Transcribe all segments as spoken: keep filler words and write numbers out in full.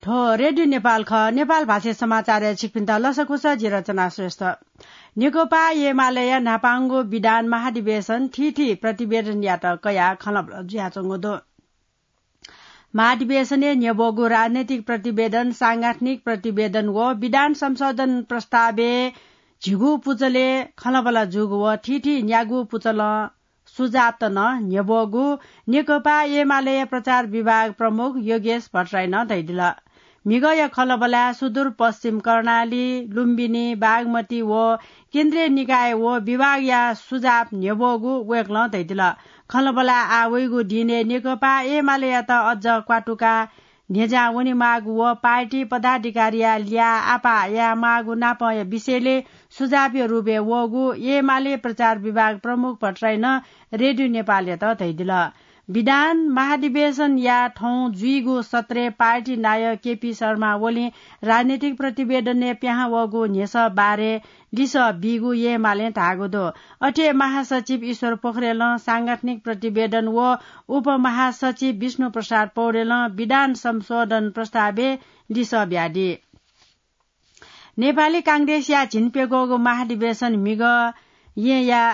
हो, रेडियो नेपाल खः। नेपाल भाषा समाचारय् छिकपिन्त लसकुस, जि रचना श्रेष्ठ। नेकपा एमालेया न्हापांगु विधान महाधिवेशन थीथी प्रतिवेदनयात कयाः खँल्हाबल्हा जुयाच्वंगु दु। महाधिवेशनय् न्ह्यब्वःगु राजनैतिक प्रतिवेदन, सांगठनिक प्रतिवेदन व विधान संशोधन प्रस्तावय् झिगू पुचलय् खँल्हाबल्हा जूगु व थीथी न्यागू पुचलं सुझावत नं न्ह्यब्वःगु नेकपा एमालेया प्रचार विभाग प्रमुख योगेश भट्टराईं धयादिल। म्हिगःया खँल्हाबल्हाय् सुदूरपश्चिम कर्णाली, लुम्बिनी, बागमती व केन्द्रीय निकाय व विभागया सुझाव न्ह्यब्वःगु वय्कलं धयादिल। खँल्हाबल्हाय् आः वइगु दिनय् नेकपा एमालेयात अझ क्वातुकाः न्ह्यज्यां वनेमाःगु व पार्टी पदाधिकारीया ल्याः आपाः यायेमाःगु नापंया विषयलय् सुझावया रूपय् वःगु एमाले प्रचार विभाग प्रमुख भट्टराईं रेडियो नेपालयात धयादिल। विधान महाधिवेशनया थौं जुइगु सत्रय् पार्टी नायः केपी शर्मा ओलीं राजनैतिक प्रतिवेदनय् पिहां वःगु न्ह्यसः बारे लिसः बीगु एमालें धाःगु दु। अथे महासचिव ईश्वर पोखरेलं सांगठनिक प्रतिवेदन व उपमहासचिव विष्णु प्रसाद पौडेलं विधान संशोधन प्रस्तावय् लिसः बियादी। नेपाली कांग्रेसया झिंप्यघौगु महाधिवेशन म्हिगः येँया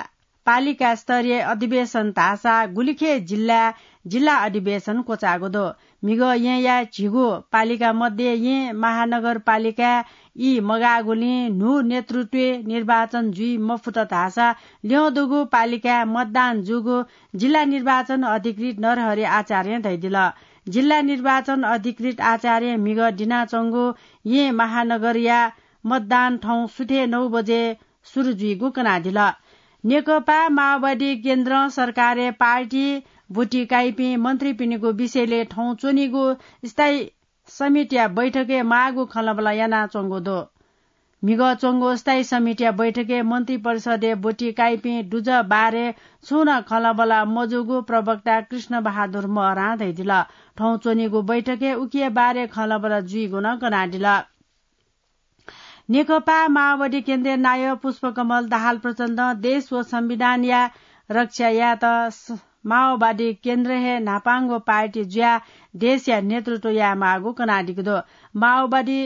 पालिका स्तरीय अधिवेशन धाःसा गुलिखे जिल्लाय् जिल्ला अधिवेशन क्वचाःगु दु। म्हिगः येँया झिगू पालिका मध्ये येँ महानगरपालिकाय् ई मगाःगुलिं न्हू नेतृत्वय् निर्वाचन जुइ मफुत धाःसा ल्यं दुगु पालिकाय् मतदान जूगु जिल्ला निर्वाचन अधिकृत नरहरि आचार्यं धयादिल। जिल्ला निर्वाचन अधिकृत आचार्यं म्हिगः दिनाच्वंगु येँ महानगरया मतदान थौं सुथय् नौ बजे सुरु जुइगु कनादिल। नेकपा माओवादी केन्द्रं सरकारय् पार्टी ब्वति काइपिं मन्त्रीपिनिगु विषयलय् थौं च्वनीगु स्थायी समितिया बैठकय् माःगु खँल्हाबल्हा यानाच्वंगु दु। म्हिगः च्वंगु स्थायी समितिया बैठकय् मन्त्री परिषदय् ब्वति काइपिं दुजः बारे छुं नं खँल्हाबल्हा मजूगु प्रवक्ता कृष्ण बहादुर महरां धयादिल। थौं च्वनीगु बैठकय् उकिया बारे खँल्हाबल्हा जुइगु नं कनादिल। नेकपा माओवादी केन्द्रीय नायः पुष्पकमल दाहाल प्रचण्डं देश व संविधानया रक्षा यायेत स-, माओवादी केन्द्र हे न्हापांगु पार्टी जुयाः देशया नेतृत्व यायेमाःगु कनादीगु दु। माओवादी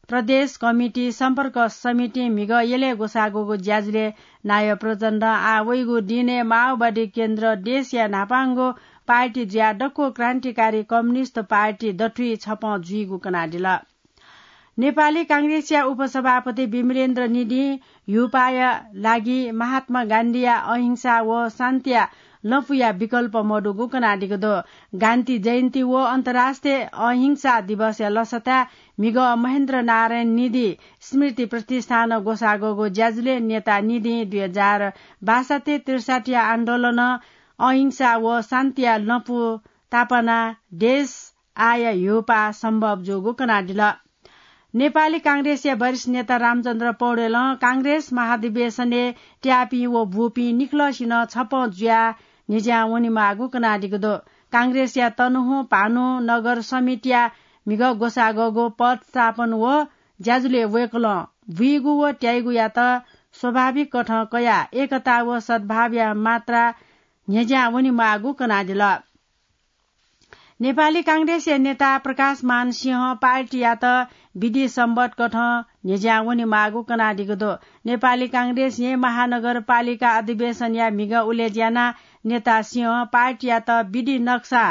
प्रदेश कमिटी सम्पर्क समितिं म्हिगः यलय् ग्वसाःगु ज्याझ्वलय् नायः प्रचण्डं आः वइगु दिनय् माओवादी केन्द्र देशया न्हापांगु पार्टी जुयाः दक्व क्रान्तिकारी कम्युनिस्ट पार्टी दथुइ छपं जुइगु कनादिल। नेपाली कांग्रेसया उपसभापति विमलेन्द्र निधिं ह्यूपाःया लागि महात्मा गान्धीया अहिंसा व शान्तिया लँपुया विकल्प मदुगु कनादीगु दु। गान्धी जयन्ती व अन्तर्राष्ट्रिय अहिंसा दिवसया लसताय् म्हिगः महेन्द्र नारायण निधि स्मृति प्रतिष्ठानं ग्वसाःगु ज्याझ्वलय् नेता निधिं दुई हजार बासठ्ठी त्रिसठ्ठीया आन्दोलनं अहिंसा व शान्तिया लँपु तापानाः देश आःया ह्यूपाः सम्भव जूगु कनादिल। नेपाली कांग्रेसया वरिष्ठ नेता रामचन्द्र पौडेलं कांग्रेस महाधिवेशनय् त्याःपिं व बूपिं निखलसिनं छपं जुयाः न्ह्यज्यां वनेमाःगु कनादीगु दु। कांग्रेसया तनहुँ भानु नगर समितिया म्हिगः ग्वसाःगु पदस्थापन व ज्याझ्वलय् वय्कलं बुइगु व त्याइगुयात स्वाभाविक कथं कयाः एकता व सद्भावया मात्रा न्ह्यज्यां वनेमाःगु कनादिल। नेपाली कांग्रेसया नेता प्रकाशमान सिंहं पार्टीयात विधि सम्बत कथं न्ह्यज्यां वनेमाःगु कनादीगु दु। नेपाली कांग्रेस येँ महानगरपालिका अधिवेशनया म्हिगः उलेज्यानाः नेता सिंहं पार्टीयात विधि नक्सा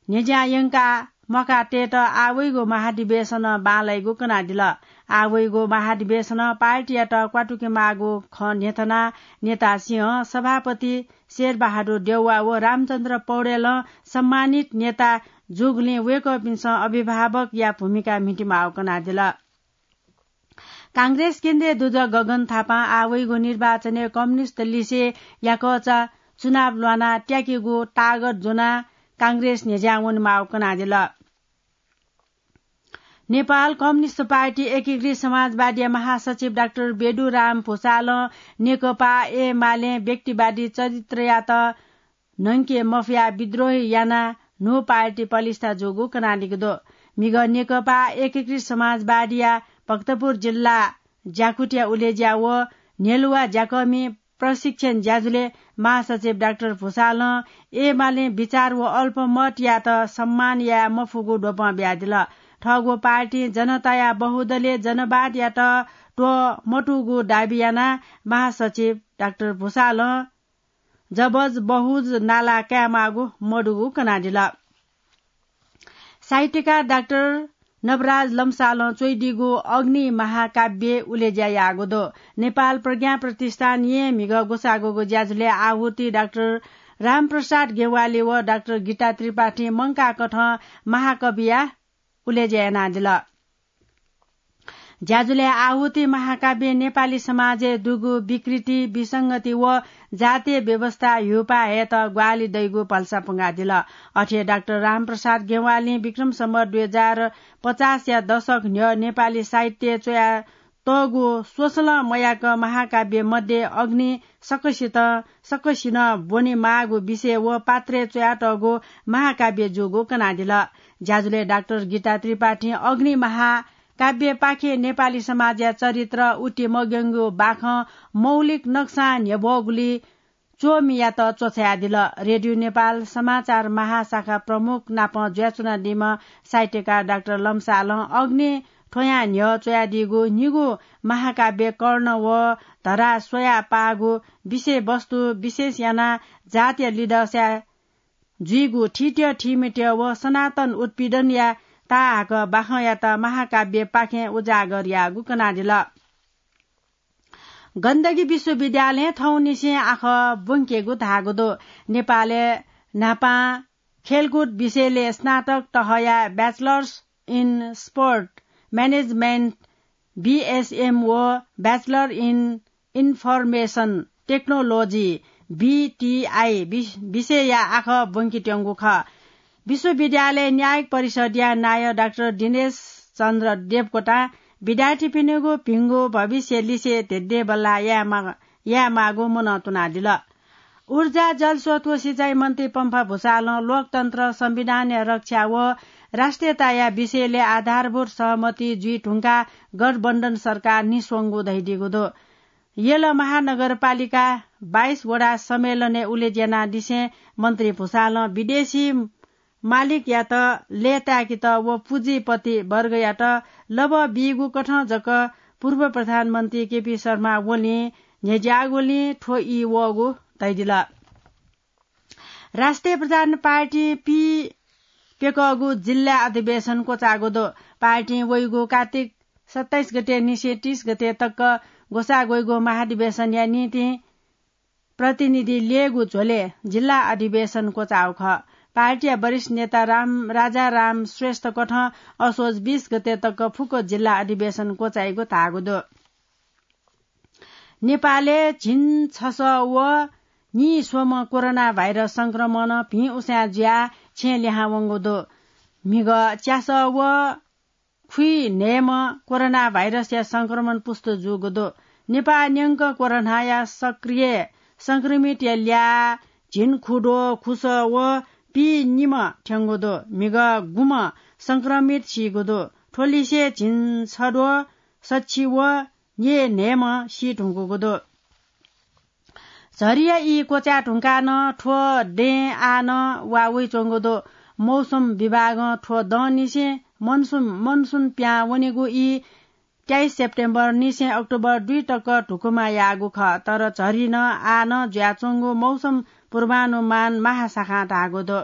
न्ह्यज्यां यंकाः म्वाकातयेत आः वइगु महाधिवेशनं बांलाइगु कनादिल। आः वइगु महाधिवेशनं पार्टीयात क्वातुकेमाःगु खँ न्ह्यथनाः नेता सिंहं सभापति शेरबहादुर देउवा व रामचन्द्र पौडेलं सम्मानित नेता जूगुलिं वय्कःपिन्सं अभिभावकया भूमिका म्हितेमाःगु कनादिल। कांग्रेस केन्द्रीय दुजः गगन थापां आः वइगु निर्वाचनय् कम्युनिस्ट लिसे याकःचा चुनाव ल्वानाः त्याकेगु तागत ज्वनाः कांग्रेस न्ह्यज्यां वनेमाःगु कनादिल। नेपाल कम्युनिस्ट पार्टी एकीकृत समाजवादीया महासचिव डाक्टर बेदुराम भुसालं नेकपा एमालें व्यक्तिवादी चरित्रयात न्हंके मफयाः विद्रोह यानाः न्हू पार्टी पलिस्था जूगु कनादीगु दु। म्हिगः नेकपा एकीकृत समाजवादीया भक्तपुर जिल्ला ज्याकुटिया उलेज्या व न्हेलुवा ज्याकःमि प्रशिक्षण ज्याझ्वलय् महासचिव डाक्टर भुसालं एमालें विचार व अल्पमतयात सम्मान याये मफुगु द्वपं बियादिल। थःगु पार्टी जनताया बहुदलीय जनवादयात त्वःमतूगु दाबी यानाः महासचिव डाक्टर भुसालं जबज बहुज नाला कायेमाःगु मदुगु कनादिल। साहित्यकार डाक्टर नवराज लम्सालं च्वइदीगु अग्नि महाकाव्य उलेज्या याःगु दु। नेपाल प्रज्ञा प्रतिष्ठान येँ म्हिगः ग्वसाःगुगु ज्याझ्वलय् आहुति डाक्टर रामप्रसाद गेवाली व डाक्टर गीता त्रिपाठी मंकाकथं महाकविया उलेज्या यानादिल। ज्याझ्वलय् आहुति महाकाव्य नेपाली समाजय् दुगु विकृति, विसंगति व जातीय व्यवस्था ह्यूपाः हयेत ग्वाहालि दइगु भलसा पुंगादिल। अथे डाक्टर रामप्रसाद गेवालीं विक्रम सम्वत दुई हजार पचासया दशक न्ह्यः नेपाली साहित्य च्वया तःगु स्वसलं मयाक महाकाव्य मध्ये अग्नि सकसित, सकसिनं ब्वनेमाःगु विषय व पात्रय् च्वयातःगु महाकाव्य जूगु कनादिल। ज्याझ्वलय् डाक्टर गीता त्रिपाठीं अग्नि महाकाव्यपाखें नेपाली समाजया चरित्र, उति मग्यंगु बाखं मौलिक नक्सां न्ह्यब्वःगुलिइ च्वमियात च्वछायादिल। रेडियो नेपाल समाचार महाशाखा प्रमुख नाप जुयाच्वनादीम्ह साहित्यकार डाक्टर लम्सालं अग्नि थ्वयां न्ह्यः च्वयादीगु निगू महाकाव्य कर्ण व धरा स्वयाः पाःगु विषयवस्तु विशेष यानाः जातीय लिदँसा जुइगु थीथ्यः थीमथ्यः व सनातन उत्पीडनया ताहाक बाखंयात महाकाव्यपाखें उजागर याःगु कनादिल। गण्डकी विश्वविद्यालयं थौंनिसें आखः ब्वंकेगु धाःगु दु। नेपालय् न्हापां खेलकुद विषयलय् स्नातक तहया Bachelors in Sport Management, BSM, व Bachelor in Information Technology, BTI, वि-, विषयया आखः ब्वंकेत्यंगु खः। विश्वविद्यालय न्यायिक परिषदया नायः डाक्टर दिनेश चन्द्र देवकोटां विद्यार्थीपिनिगु भिंगु भविष्य लिसे धेद्येबल्लाः यायेमा-, यायेमाःगु मनंतुनादिल। ऊर्जा, जलस्रोत व सिँचाइ मन्त्री पम्फा भुसालं लोकतन्त्र, संविधानया रक्षा व राष्ट्रियताया विषयलय् आधारभूत सहमति जुइ धुंकाः गठबन्धन सरकार निस्वंगु धयादीगु दु। यल महानगरपालिका बाइस वडा सम्मेलनय् उलेज्या यानादिसें मन्त्री भुसालं विदेशी मालिकयात लय्ताय्केत व पुँजीपति वर्गयात लबः बीगु कथं जक पूर्व प्रधानमन्त्री केपी शर्मा ओलीं न्ह्यज्याःगुलिं थ्व ई वःगु धयादिल। राष्ट्रिय प्रजातन्त्र पार्टी पीप्यकःगु जिल्ला अधिवेशन क्वचाःगु दु। पार्टीं वइगु कात्तिक सत्ताइस गते निसें तीस गते तक ग्वसाः ग्वइगु महाधिवेशनया निंतिं प्रतिनिधि ल्ययेगु झ्वलय् जिल्ला अधिवेशन क्वचाःगु खः। पार्टीया वरिष्ठ नेता राम, राजाराम श्रेष्ठ कथं असोज बीस गते तक फुक्क जिल्ला अधिवेशन क्वचाइगु धाःगु दु। नेपालय् झिंछसः व नीस्वम्ह कोरोना भाइरस संक्रमणं भिं उसाँय् जुयाः छेँय् लिहां वंगु दु। म्हिगः च्यासः व खुइन्हय्म्ह कोरोना भाइरसया संक्रमण पुष्ट जूगु दु। नेपाः न्यंक कोरोनाया सक्रिय संक्रमितया ल्याः झिंखुद्वः खुसः व पीनिम्ह थ्यंगु दु। म्हिगः गुम्ह संक्रमित सीगु दु। थ्व लिसे झिंछद्वः सछि व न्यय्न्हय्म्ह सी धुंकूगु दु। झरीया ई क्वचाये धुंकाः नं थ्व दँय् आः नं वा वइच्वंगु दु। मौसम विभागं थ्व दँनिसें मनसुन, मनसुन पिहां वनेगु ई तेइस सेप्टेम्बर निसें अक्टोबर दुई तक धुकुमा याःगु खः, तर झरी नं आः नं जुयाच्वंगु मौसम पूर्वानुमान महाशाखां धाःगु दु।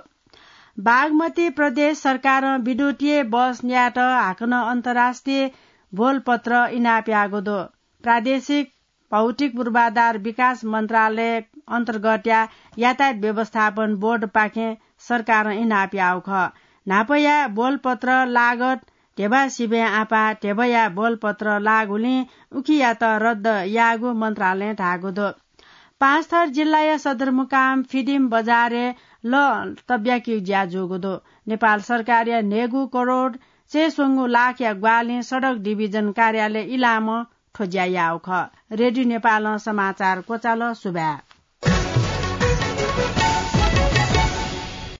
बागमती प्रदेश सरकारं विद्युतीय बस न्यायेत हाकनं अन्तर्राष्ट्रिय बोलपत्र इनाप याःगु दु। प्रादेशिक भौतिक पूर्वाधार विकास मन्त्रालय अन्तर्गतया यातायात व्यवस्थापन बोर्डपाखें सरकारं इनाप याःगु खः। न्हापाया बोलपत्र लागत ध्यबा सिबें आपाः ध्यबाया बोलपत्र लाःगुलिं उकियात रद्द याःगु मन्त्रालयं धाःगु दु। पाँचथर जिल्लाया सदरमुकाम फिदिम बजारय् लँ तब्याकीगु ज्या जूगु दु। नेपाल सरकारया न्हय्गू करोड चय्स्वंगू लाखया ग्वाहालिं सडक डिभिजन कार्यालय इलामं थ्व ज्या याःगु खः। रेडियो नेपालं समाचार क्वचाल। सुभाय्।